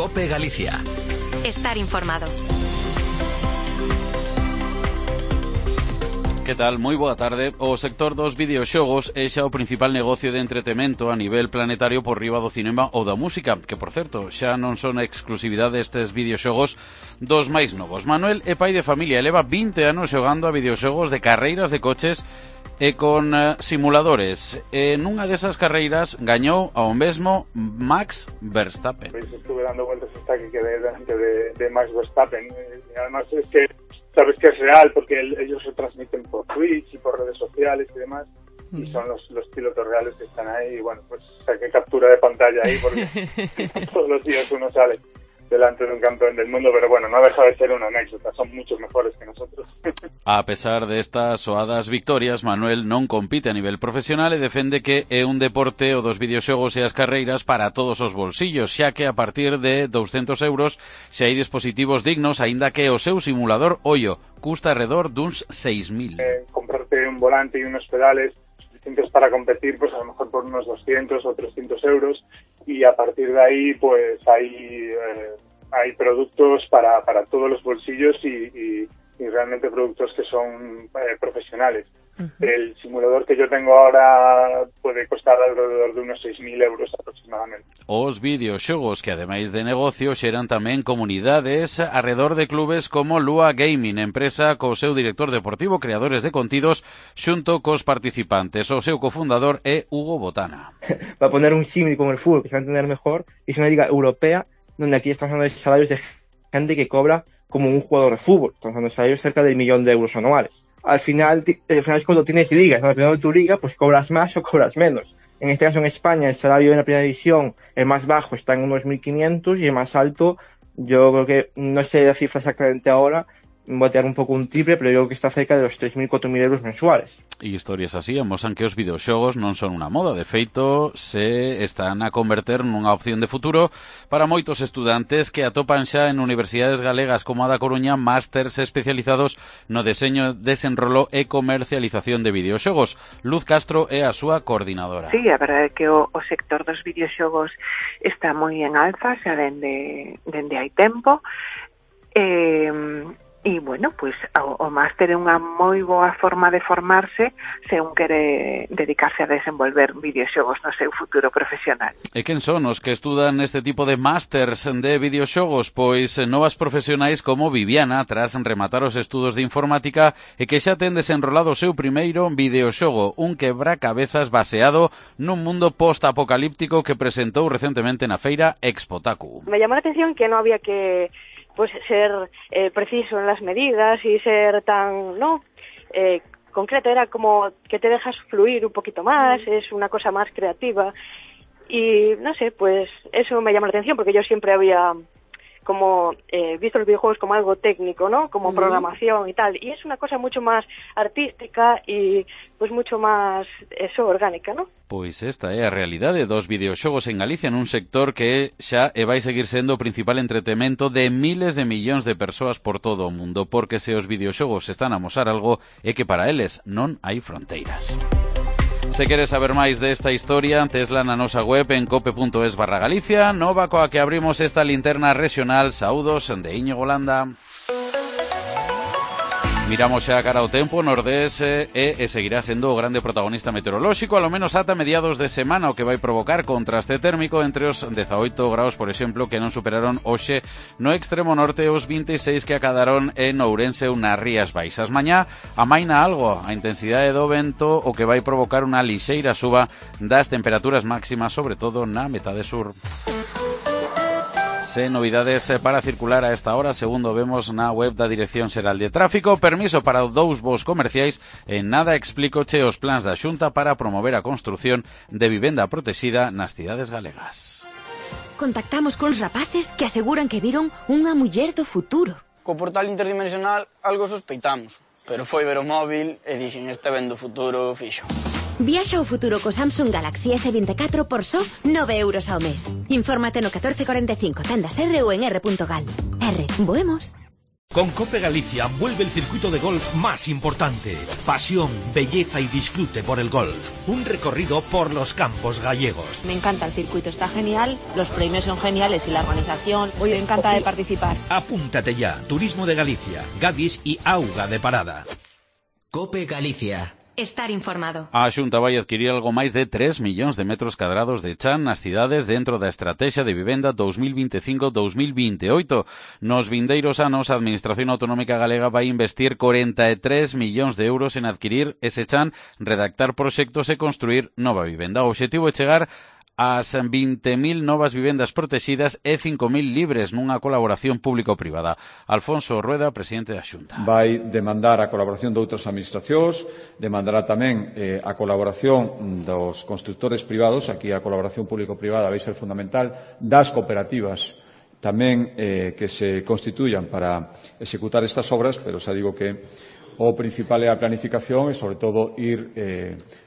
COPE Galicia. Estar informado. Que tal? Moi boa tarde. O sector dos videoxogos é xa o principal negocio de entretemento a nivel planetario por riba do cinema ou da música, que, por certo, xa non son a exclusividade destes videoxogos dos máis novos. Manuel é pai de familia e leva 20 anos xogando a videoxogos de carreiras de coches e con simuladores. Nunha desas carreiras gañou ao mesmo Max Verstappen. Pues estuve dando vueltas hasta que quedé delante de Max Verstappen. Y además es que sabes que es real porque ellos se transmiten por Twitch y por redes sociales y demás, y son los pilotos reales que están ahí. Y bueno, pues saqué captura de pantalla ahí porque todos los días uno sale delante de un campeón del mundo, pero bueno, no deja de ser una anécdota, son muchos mejores que nosotros. A pesar de estas soadas victorias, Manuel non compite a nivel profesional e defende que é un deporte o dos videoxogos e as carreiras para todos os bolsillos, xa que a partir de 200 euros se hai dispositivos dignos, aínda que o seu simulador, ollo, custa alrededor duns 6.000. Comprarte un volante y unos pedales suficientes para competir, pues a lo mejor por unos 200 o 300 euros, y a partir de ahí pues hay productos para todos los bolsillos y realmente productos que son profesionales. El simulador que yo tengo ahora puede costar alrededor de unos 6.000 euros aproximadamente. Os videoxogos que, ademais de negocio, xeran tamén comunidades arredor de clubes como Lua Gaming, empresa co seu director deportivo, creadores de contidos, xunto cos participantes. O seu cofundador é Hugo Botana. Va a poner un símil con el fútbol, que se va a entender mejor, es una liga europea donde aquí estamos hablando de salarios de gente que cobra como un jugador de fútbol. Estamos hablando de salarios cerca del 1.000.000 de euros anuales. Al final es cuando tienes ligas, ¿no? Dependiendo de tu liga, pues cobras más o cobras menos. En este caso en España el salario en la primera división, el más bajo está en unos 1.500 y el más alto, yo creo que, no sé la cifra exactamente ahora, voy a tirar un pouco un triple, pero yo creo que está cerca de los 3.000, 4.000 euros mensuales. E historias así amosan que os videoxogos non son unha moda, de feito se están a converter nunha opción de futuro para moitos estudantes que atopan xa en universidades galegas como a da Coruña másters especializados no deseño, desenrolo e comercialización de videoxogos. Luz Castro é a súa coordinadora. Sí, a verdade é que o sector dos videoxogos está moi en alza xa dende hai tempo. E, bueno, pois o máster é unha moi boa forma de formarse se un quere dedicarse a desenvolver videoxogos no seu futuro profesional. E quen son os que estudan este tipo de másters de videoxogos? Pois novas profesionais como Viviana, tras rematar os estudos de informática e que xa ten desenrolado o seu primeiro videoxogo, un quebracabezas baseado nun mundo post-apocalíptico que presentou recentemente na feira Expotaku. Me llamó la atención que no había que ser preciso en las medidas y ser tan concreto, era como que te dejas fluir un poquito más, es una cosa más creativa y no sé, pues eso me llamó la atención porque yo siempre había como visto los videojuegos como algo técnico, ¿no? Como programación y tal, y es una cosa mucho más artística y pues mucho más orgánica, ¿no? Pois esta é a realidade dos videoxogos en Galicia, nun sector que xa vai seguir sendo o principal entretemento de miles de millóns de persoas por todo o mundo, porque se os videoxogos están a amosar algo é que para eles non hai fronteiras. Se queres saber máis desta historia, tesla na nosa web en cope.es/Galicia, nova coa que abrimos esta linterna regional. Saúdos de Íñigo Landa. Miramos xa cara ao tempo, Nordés e seguirá sendo o grande protagonista meteorolóxico, alo menos ata mediados de semana, o que vai provocar contraste térmico entre os 18 graus, por exemplo, que non superaron hoxe no extremo norte os 26 que acadaron en Ourense ou nas Rías Baixas. Mañá amaina algo a intensidade do vento, o que vai provocar unha lixeira suba das temperaturas máximas, sobre todo na metade sur. Sen novidades para circular a esta hora, segundo vemos na web da Dirección Xeral de Tráfico. Permiso para 2 voos comerciais e nada explícoche os plans da Xunta para promover a construción de vivenda protexida nas cidades galegas. Contactamos con rapaces que aseguran que viron unha muller do futuro. Co portal interdimensional algo sospeitamos, pero foi ver o móvil e dixen este vendo futuro fixo. Viaxa ao futuro co Samsung Galaxy S24 por só 9 euros ao mes. Infórmate no 1445, tendas R ou en r.gal. R, voemos. Con Cope Galicia vuelve el circuito de golf más importante. Pasión, belleza y disfrute por el golf. Un recorrido por los campos gallegos. Me encanta el circuito, está genial, los premios son geniales y la organización, me encanta de participar. Apúntate ya. Turismo de Galicia, Gadis y Auga de Parada. Cope Galicia. Estar informado. A Xunta vai adquirir algo máis de 3 millóns de metros cadrados de chan nas cidades dentro da Estrategia de Vivenda 2025-2028. Nos vindeiros anos, a Administración Autonómica Galega vai investir 43 millóns de euros en adquirir ese chan, redactar proxectos e construir nova vivenda. O obxectivo é chegar ás 20.000 novas vivendas protegidas e 5.000 libres nunha colaboración público-privada. Alfonso Rueda, presidente da Xunta. Vai demandar a colaboración de outras administracións, demandará tamén a colaboración dos constructores privados, aquí a colaboración público-privada vai ser fundamental, das cooperativas tamén que se constituyan para executar estas obras, pero xa digo que o principal é a planificación e, sobre todo, ir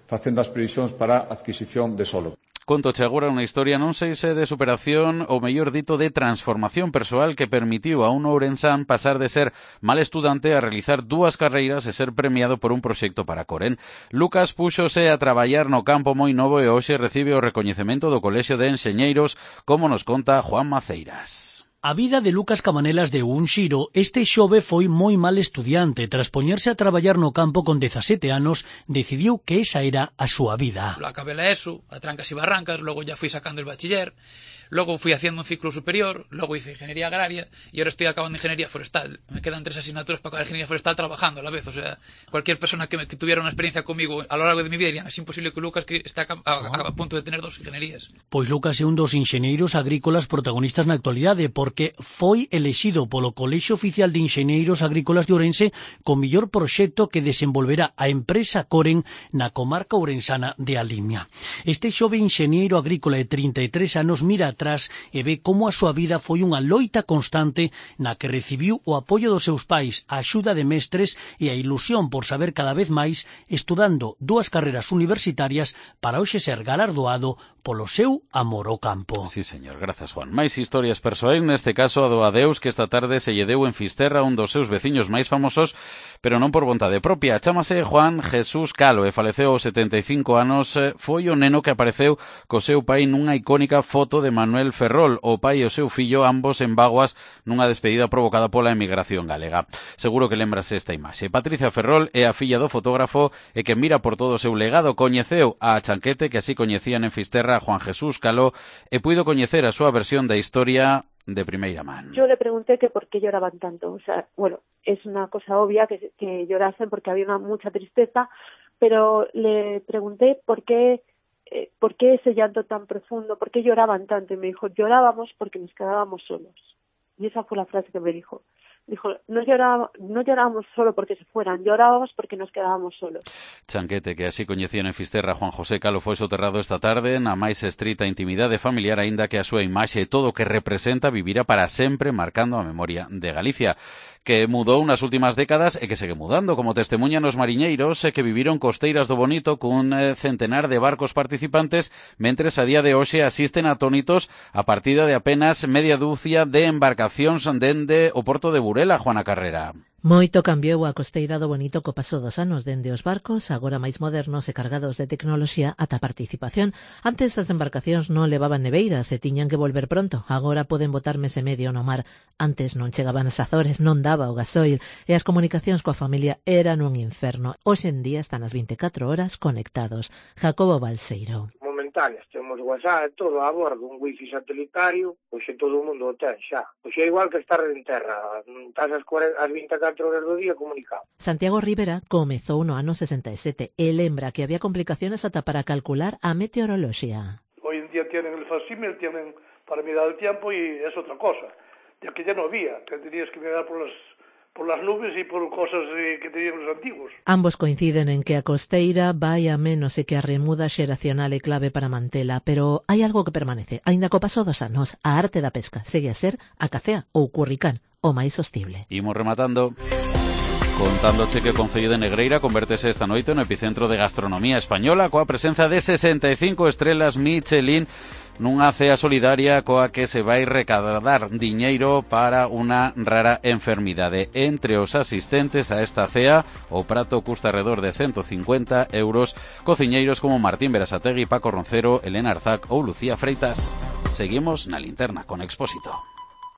facendo as previsións para a adquisición de solo. Contoche agora unha historia non sei se de superación ou mellor dito de transformación persoal que permitiu a un ourensán pasar de ser mal estudante a realizar 2 carreiras e ser premiado por un proxecto para Coren. Lucas púxose a traballar no campo moi novo e hoxe recibe o recoñecemento do Colexio de Enxeñeiros, como nos conta Juan Maceiras. A vida de Lucas Cabanelas deu un xiro. Este xove foi moi mal estudiante. Tras poñerse a traballar no campo con 17 anos, decidiu que esa era a súa vida. Lo acabé la ESO, a trancas y barrancas, luego ya fui sacando el bachiller, luego fui haciendo un ciclo superior, luego hice ingeniería agraria y ahora estoy acabando ingeniería forestal. Me quedan 3 asignaturas para acabar ingeniería forestal trabajando a la vez. O sea, cualquier persona que tuviera una experiencia conmigo a lo largo de mi vida diría, es imposible que Lucas, que está a punto de tener 2 ingenierías. Pois Lucas é un dos enxeneiros agrícolas protagonistas na actualidade, porque foi elexido polo Colexio Oficial de Enxeneiros Agrícolas de Ourense co mellor proxecto que desenvolverá a empresa Coren na comarca ourensana de Alimia. Este xove enxeneiro agrícola de 33 anos mira atrás e ve como a súa vida foi unha loita constante na que recibiu o apoio dos seus pais, a axuda de mestres e a ilusión por saber cada vez máis, estudando 2 carreras universitarias para hoxe ser galardoado polo seu amor ao campo. Sí, señor, grazas, Juan. Máis historias persoais, neste caso a do adeus que esta tarde se lle deu en Fisterra, un dos seus veciños máis famosos, pero non por vontade propia. Chámase Juan Jesús Calo e faleceu aos 75 anos. Foi o neno que apareceu co seu pai nunha icónica foto de Manuel Ferrol, o pai e o seu fillo, ambos en vaguas nunha despedida provocada pola emigración galega. Seguro que lembrase esta imaxe. Patricia Ferrol é a filla do fotógrafo e que mira por todo o seu legado. Coñeceu a Chanquete, que así coñecían en Fisterra, Juan Jesús Calo, e puido coñecer a súa versión da historia de primeira man. Yo le pregunté que por qué lloraban tanto. O sea, bueno, es una cosa obvia que llorasen porque había mucha tristeza, pero le pregunté por qué ese llanto tan profundo, por qué lloraban tanto. Y me dijo, llorábamos porque nos quedábamos solos. Y esa fue la frase que me dijo. Dijo, no llorábamos solo porque se fueran, llorábamos porque nos quedábamos solos. Chanquete, que así coñecían en Fisterra, Juan José Calo, foi soterrado esta tarde na máis estrita intimidade familiar, aínda que a súa imaxe e todo o que representa vivirá para sempre marcando a memoria de Galicia, que mudou nas últimas décadas e que segue mudando, como testemunhan os mariñeiros que viviron costeiras do Bonito cun centenar de barcos participantes, mentres a día de hoxe asisten atónitos a partida de apenas media dúcia de embarcacións dende o porto de Burela, Juana Carrera. Moito cambiou a costeira do Bonito co paso dos anos, dende os barcos, agora máis modernos e cargados de tecnoloxía, ata a participación. Antes as embarcacións non levaban neveiras e tiñan que volver pronto, agora poden botar mes e medio no mar. Antes non chegaban as Azores, non daba o gasoil, e as comunicacións coa familia eran un inferno. Hoxe en día están as 24 horas conectados. Jacobo Balseiro. Momentáneas, temos WhatsApp, todo a bordo, un wifi satélitario, pois todo o mundo o ten xa. Pois é igual que estar en terra, estás as 24 horas do día comunicado. Santiago Rivera comezou no ano 67 e lembra que había complicaciones ata para calcular a meteoroloxía. Hoy en día tienen el facímil, tienen para mirar el tiempo y es otra cosa. Ya que ya no había, que tenías que mirar por las nubes y por cosas que tenían los antiguos. Ambos coinciden en que a costeira vai a menos e que a remuda xeracional é clave para mantela, pero hai algo que permanece. Aínda co paso dos anos, a arte da pesca segue a ser a cacea ou curricán, o máis sostible. Imos rematando contándoche que o Concello de Negreira convértese esta noite no epicentro de gastronomía española coa presenza de 65 estrelas Michelin nunha cea solidaria coa que se vai recaudar diñeiro para unha rara enfermidade. Entre os asistentes a esta cea, o prato custa alrededor de 150 euros, cociñeiros como Martín Berasategui, Paco Roncero, Elena Arzac ou Lucía Freitas. Seguimos na linterna con Expósito.